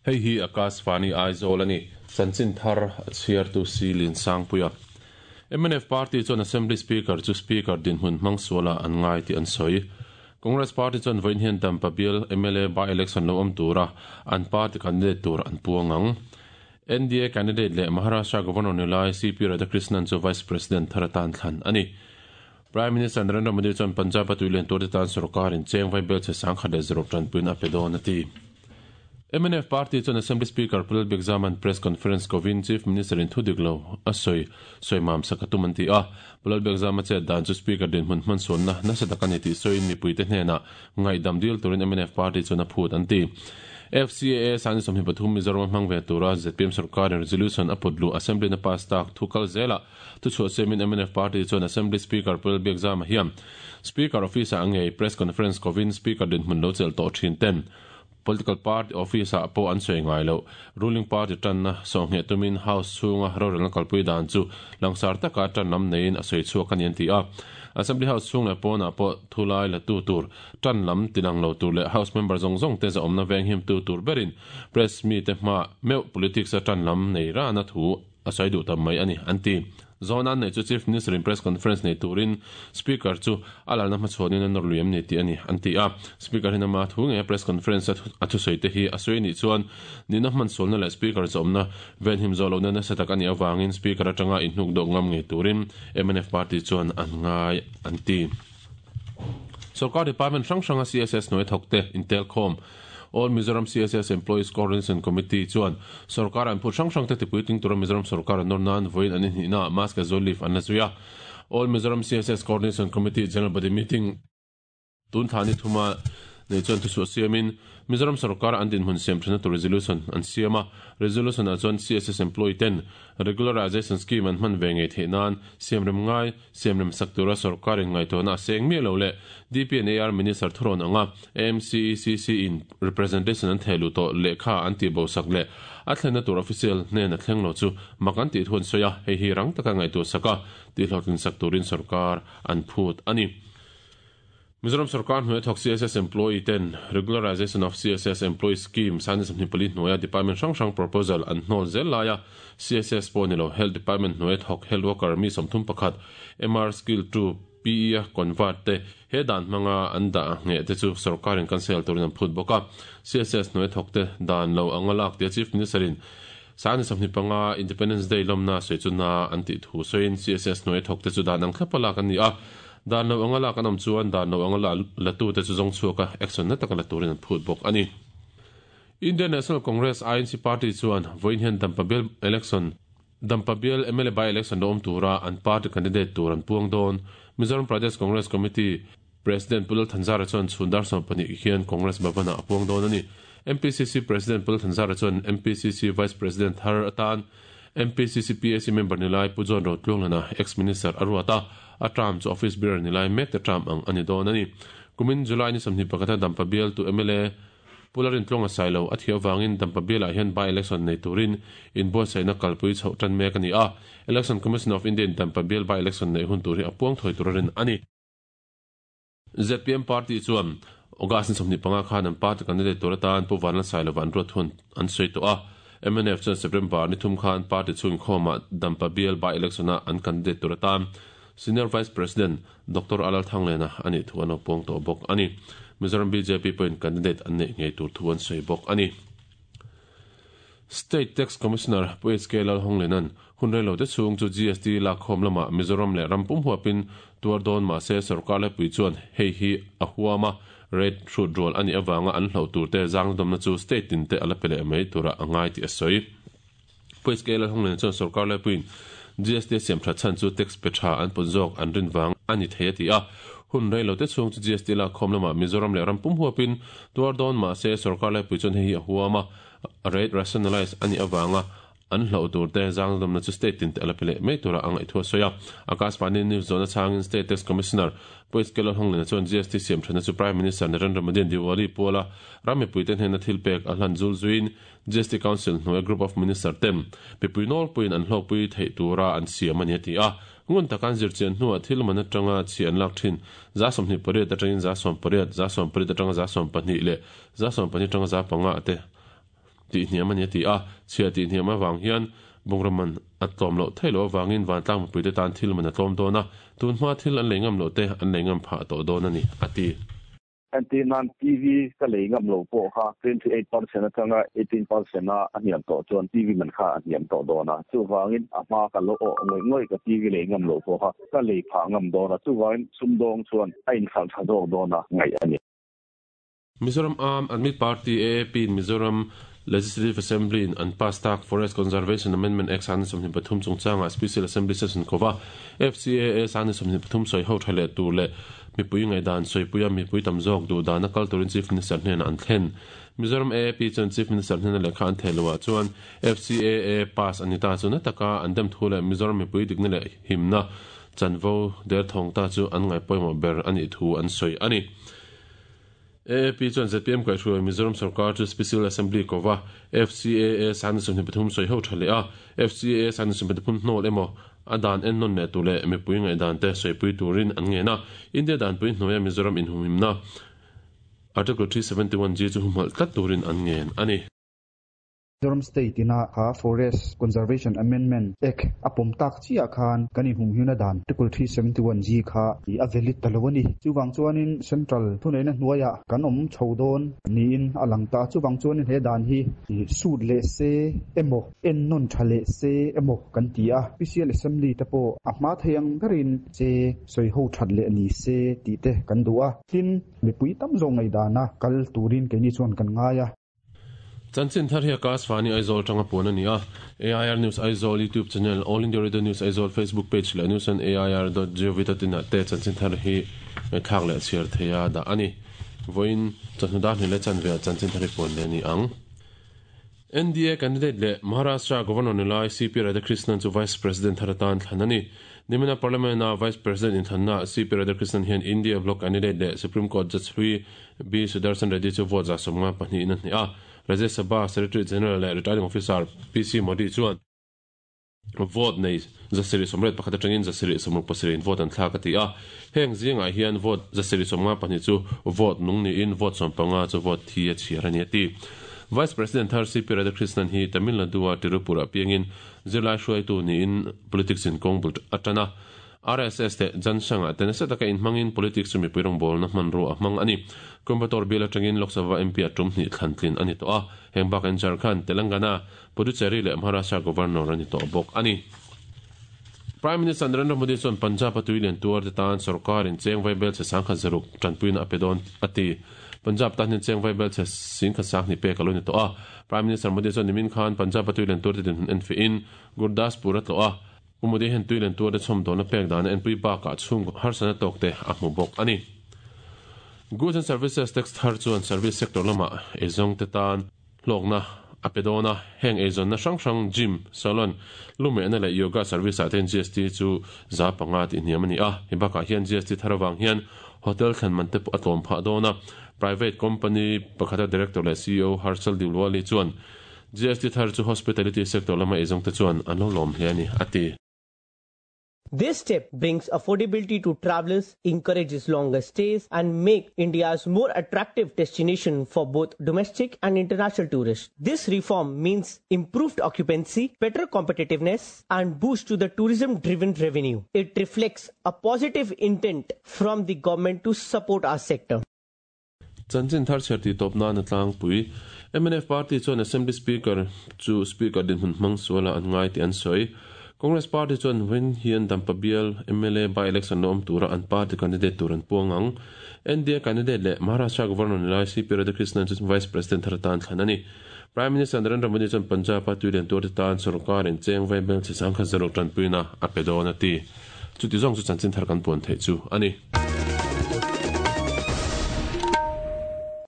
Hei hi Akashvani Aizawl a ni. Chanchin thar a chhiartu si Liansangpuia. Mnf Party chuan Assembly Speaker chu Speaker dinhmun hmang sualah an ngai tih an sawi. Congress Party chuan vawiin hian Dampa bial mla by-election lo awm tura an party candidate tur an puang ang. NDA candidate leh Maharashtra Governor ni lai CP Radhakrishnan chu Vice President thar atan thlan a ni. Prime Minister Narendra Modi chuan Punjab-a tuilian turte tan sorkarin cheng vai bel chhe 1060 tanpuiin a pe dawn a ti. Mnf Party chuan Assembly Speaker Pu Lalbiakzama'n Press Conference kovin Chief Minister-in thu dik lo a sawi sawi mam sak a tum an ti a. Pu Lalbiakzama chet dan chu Speaker dinhmun hmansuanna nasa tak a ni tih sawiin mipuite hnenah ngaihdam dil turin mnf Party chuan a phut an ti. FCAA Sani 23 Mizoram a hmang ve tura zpm sorkarin resolution a put luh Assembly-na pass tak thu kal zelah Thuchhuah siamin mnf party chuan Assembly Speaker Pu Lalbiakzama hian Speaker office-ah ngei press conference kovin Speaker dinhmun lo chelh tawh thin ten political party office-ah pawh an sawi ngai loh. Ruling party tanna sawhngheh tumin House chhunga rorelna kalpui dan chu langsar taka tan lam neiin a sawi chhuak a ni an ti a. Assembly House chhung leh pawnah pawh thulai la tu tur, tan lam tilang lo tur leh House member zawng zawng te zahawmna venghimtu tur berin press mite hmaah meuh politics-a tan lam nei rana thu a sawi duh tam mai a ni, an ti. Zawhna an neih chu Chief Minister-in press conference nei turin Speaker chu a lalna hmachhuanin a nawr lui em ni tih a ni, an ti a. Speaker hian ama thu ngeia press conference a a thusawi te hi a sawi anih chuan nihna hmansualna leh Speaker chawmna venhim zawh lohna nasa tak a nih avangin Speaker atanga inhnuk dawk ngam ngei turin mnf party chuan an ngai, an ti. Sorkar department hrang hranga CSS hnuai thawkte intelkhawm All Mizoram CSS Employees Coordination Committee chuan sorkar an phut hrang hrangte tipuitling tura Mizoram sorkar an nawr nan vawiin an inhnihnaah mask leh zual leaf an la zui a. All Mizoram CSS Coordination Committee General Body Meeting tun thla ni thuma nei chuan thuchhuah siamin Mizoram sorkar an dinhmun siam thana tur resolution an siam a. Resolution ah chuan CSS employee ten Regularization Scheme an hman ve ngei theih nan siamrem ngai siamrem sak tura sorkarin ngaihtuahna a seng miah lo leh DPNAR Minister thurawn anga AMCECC in representation an theh luh tawh lehkha an tih bo sak leh a thlenna tur official hnen a thleng lo chu mak an tih thu an sawi a, hei hi rang taka ngaihtuah sak a tihhlawhtlin sak turin sorkar an phut a ni. Mizoram sorkar hnuaia thawk CSS employee ten Regularization of CSS Employee Scheme Sani 24 hnuaia department hrang hrang proposal an hnawl zel laia CSS pawh ni lo Health Department hnuaia thawk health worker mi 31 MR Skill 2 PE a convert te he dan hmanga an dah ngheh te chu sorkarin cancel turin an phut bawk a. CSS hnuaia thawk te dan lo anga lak tia Chief Minister in Sani 25 Independence Day lawmna sawi chu na an tih thu sawiin CSS hnuaia thawk te chu dan ang thlapa lak an ni a. Dan lo anga lak an awm chuan dan lo anga la latute chu zawng chhuak a, action na taka la turin an phut bawk a ni. Indian National Congress, INC, party chuan vawiin hian Dampa bial election Dampa bial mla by-election lo awm tura an party candidate tur an puang dawn. Mizoram Pradesh Congress Committee President Pu Lal Thanzara chuan chhun dar 12 hian Congress Bhavan-ah a puang dawn a ni. MPCC President Pu Lal Thanzara chuan MPCC Vice President thar atan MPCC PAC member ni lai Pu John Rotluanglana ex-minister a ruat a, a term chu office bearer ni lai mek te term ang a ni dawn a ni. Kumin July ni 21 a Dampa bialtu mla Pu Lalrintluanga Sailo a thiah avangin Dampa bialah hian by-election nei turin inbuatsaihna kalpui chhoh tan mek a ni a, Election Commission of India in Dampa bial by-election neih hun tur hi a puang thawi tur a rin a ni. Zpm party chuan August ni 25 khan an party candidate tur atan Pu Vanlal Sailova an ruat thu an sawi tawh a. Mnf chuan September ni thum khan party chhung inkhawmah Dampa bial by-election-a an candidate tur atan Senior Vice President Doctor Alal Thanglena a nih thu an lo puang tawh bawk a ni. Mizoram bjp pawhin candidate an neih ngei tur thu an sawi bawk a ni. State Tax Commissioner Pu HK Lalhawnglena'n hun rei lote chhung chu GST lakkhawm lamah Mizoram leh ram pum huapin tuar dawn mah se sorkar lepui chuan hei hi a huam a, rate hrut rual a nih avanga an hloh turte zangdawmna chu state tinte a la pe leh mai turah a ngai tih a sawi. Pu HK Lalhawnglen chuan sorkar laipuiin GST a siam that chhan chu tax pe tha an pun zawk an rin vang a ni thei a ti a. Hun rei lote chhung chu GST lakkhawm lamah Mizoram leh ram pum huapin tuar dawn mah se sorkar laipui chuan hei hi a huam a, rate rationalise a nih avanga an hloh tur te zangdawmna chu state tin te a la pe leh mai tura a ngaih thu a sawi a. Akashvani News zawhna chhangin State Tax Commissioner Pu HK Lalhawnglen chuan GST siam thatna chu Prime Minister Narendra Modi-a'n Diwali puala ram mipuite hnena thil pek a hlan zul zuiin GST Council hnuaia Group of Minister ten mipui nawlpuiin an hlawkpui theih tura an siam a ni a ti a. Ngun taka an zirchian hnuah thil man atanga chhi an lak thin 28% atangin 18%, 18% atanga 12% leh 12% atanga 5% te. tihhniam a ni a ti a, chhiah tihhniam avang hian bungraw man a tlawm loh theih loh avangin vantlang mipuite tan thil man a tlawm dawn a, tun hma thil an lei ngam loh te an lei ngam phah tawh dawn a ni, a ti. Entir nan TV ka lei ngam lo pawh kha 28% atanga 18% a a hniam tawh chuan TV man kha a hniam tawh dawn a, chuvangin a hma ka lo awh ngawih ngawih ka TV lei ngam lo pawh kha ka lei phah ngam dawn a, chuvangin sumdawng chuan a inhralh tha zawk dawn a ngaih a ni. Mizoram Aam Aadmi Party, AAP, in Mizoram Legislative Assembly in an pass tak Forest Conservation Amendment Act 2023 chungchangah Special Assembly Session kova FCAA 2023 sawi ho tha leh tur leh mipui ngaihdan sawipuia mipui tam zawk duh dana kal turin Chief Minister hnenah an thlen. Mizoram AAP chuan Chief Minister hnena lehkha an theh loah chuan FCAA pass a ni ta chu na taka an dem thu leh Mizoram mipui dikna leh himna chanvo derthawng ta chu an ngaihpawimawh ber a nih thu an sawi a ni. AAP chuan zpm kaihhruai Mizoram sorkar chu Special Assembly kova FCAA 2023 sawi ho tha leh a, FCAA 2023 hnawl emaw a dan ennawn leh tur leh mipui ngaihdan te sawipui turin an ngen a. India danpui hnuaia Mizoram inhumhimna Article 371G chu humhalh tlat turin an ngen a ni. Mizoram State ina kha Forest Conservation Amendment Act a pawm tak chiah khan kan inhumhimna dan Article 371G kha a valid ta lo a ni. Chuvang chuanin Central thuneihna hnuaiah kan awm chho dawn niin a lang ta. Chuvang chuanin he dan hi sut leh se emaw, ennawn tha leh se emaw kan ti a. Special Assembly te pawh a hma thei ang berin che sawiho that leh ni se tih te kan duh a. Tin, mipui tam zawk ngaihdana kal turin keini chuan kan ngai a. Chanchin thar hi Akashvani Aizawl atanga puan a ni a, AIR News Aizawl YouTube channel, All India Radio News Aizawl Facebook page leh news on air dot gov dot in ah te chanchin thar hi ngaihthlak leh chhiar theia dah a ni. Vawiin chawhnu dar hnih leh chanve ah chanchin thar hi puan leh a ni ang. NDA candidate leh Maharashtra Governor ni lai CP Radhakrishnan chu Vice President thar atan thlan a ni. Nimina Parliament-a Vice President inthlannaah CP Radhakrishnan hian India Bloc candidate leh Supreme Court Judge hlui B. Sudarshan Reddy chu vote 52 in a hneh a. Rajya Sabha Secretary General leh Returning Officer PC Modi chuan vote nei 781 atangin 767 in vote an thlak a ti a. Heng zingah hian vote 752 chu vote nung niin vote 15 chu vote thi a chhiar a ni a ti. Vice President thar CP Radhakrishnan hi Tamil Nadu-a Tirupur-ah piangin zirlai hruaitu niin politics in kawng bul a tan a. RSS te Jan Sangh-ah te nasa taka inhmangin politics chu mipui rawngbawlna hmanrua a hmang a ni. Coimbatore bial atangin Lok Sabha MP a tum hnih thlan tlin a ni tawh a, heng bakah Jharkhand, Telangana, Puducherry leh Maharashtra Governor a ni tawh bawk a ni. Prime Minister Narendra Modi chuan Punjab-a tui lian tuar te tan sorkarin cheng vaibel chhe sangkhat zaruk tanpuina a pe dawn a ti. Punjab tan hian cheng vaibel chhe singkhat sanghnih pek a lo ni tawh a. Prime Minister Modi chuan nimin khan Punjab-a tui lian tuar te dinhmun enfiahin Gurdaspur a tlawh a. Pu Modi hian tui len tuarte chhawm dawhna pek dana enpui bakah chhung harsatna tawk te a hmu bawk a ni. Goods and Services Tax thar chuan service sector lamah eizawng te tan hlawkna a pe dawn a, heng eizawnna hrang hrang gym, salon, lumehna leh yoga service ah te hian GST chu 5% tih hniam a ni a. Hei bakah hian GST thar avang hian hotel thlen man te pawh a tlawm phah dawn a. Private company pakhata director leh ceo Harshal Dilwali chuan GST thar chu hospitality sector lama eizawng te chuan an lo lawm hle a ni, a ti. This step brings affordability to travelers, encourages longer stays and make India's more attractive destination for both domestic and international tourists. This reform means improved occupancy, better competitiveness and boost to the tourism-driven revenue. It reflects a positive intent from the government to support our sector. Chanchin thar chher tih tawp nan a tlangpui. Mnf party chuan Assembly Speaker chu Speaker dinhmun hmang sualah an ngai tih an sawi. Congress party chuan vawiin hian Dampa bial mla by-election la awm tura an party candidate tur an puang ang. NDA candidate leh Maharashtra Governor ni lai CP Radhakrishnan chu Vice President thar atan thlan a ni. Prime Minister Narendra Modi chuan Punjab-a tuilian tuarte tan sorkarin cheng vaibel chhe sangkhat zaruk tanpuina a pe dawn a ti. Chuti zawng chu chanchin thar kan puan theih chu a ni.